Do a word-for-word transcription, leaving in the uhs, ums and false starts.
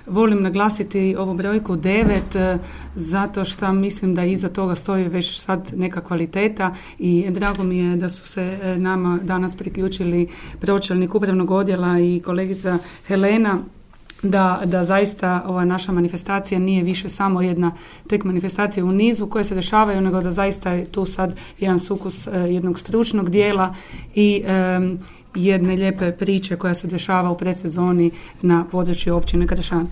volim naglasiti ovu brojku devet zato što mislim da iza toga stoji već sad neka kvaliteta i drago mi je da su se nama danas priključili pročelnik upravnog odjela i kolegica Helena, Da, da zaista ova naša manifestacija nije više samo jedna tek manifestacija u nizu koje se dešavaju, nego da zaista je tu sad jedan sukus uh, jednog stručnog dijela i um, jedne lijepe priče koja se dešava u predsezoni na području općine Kršan.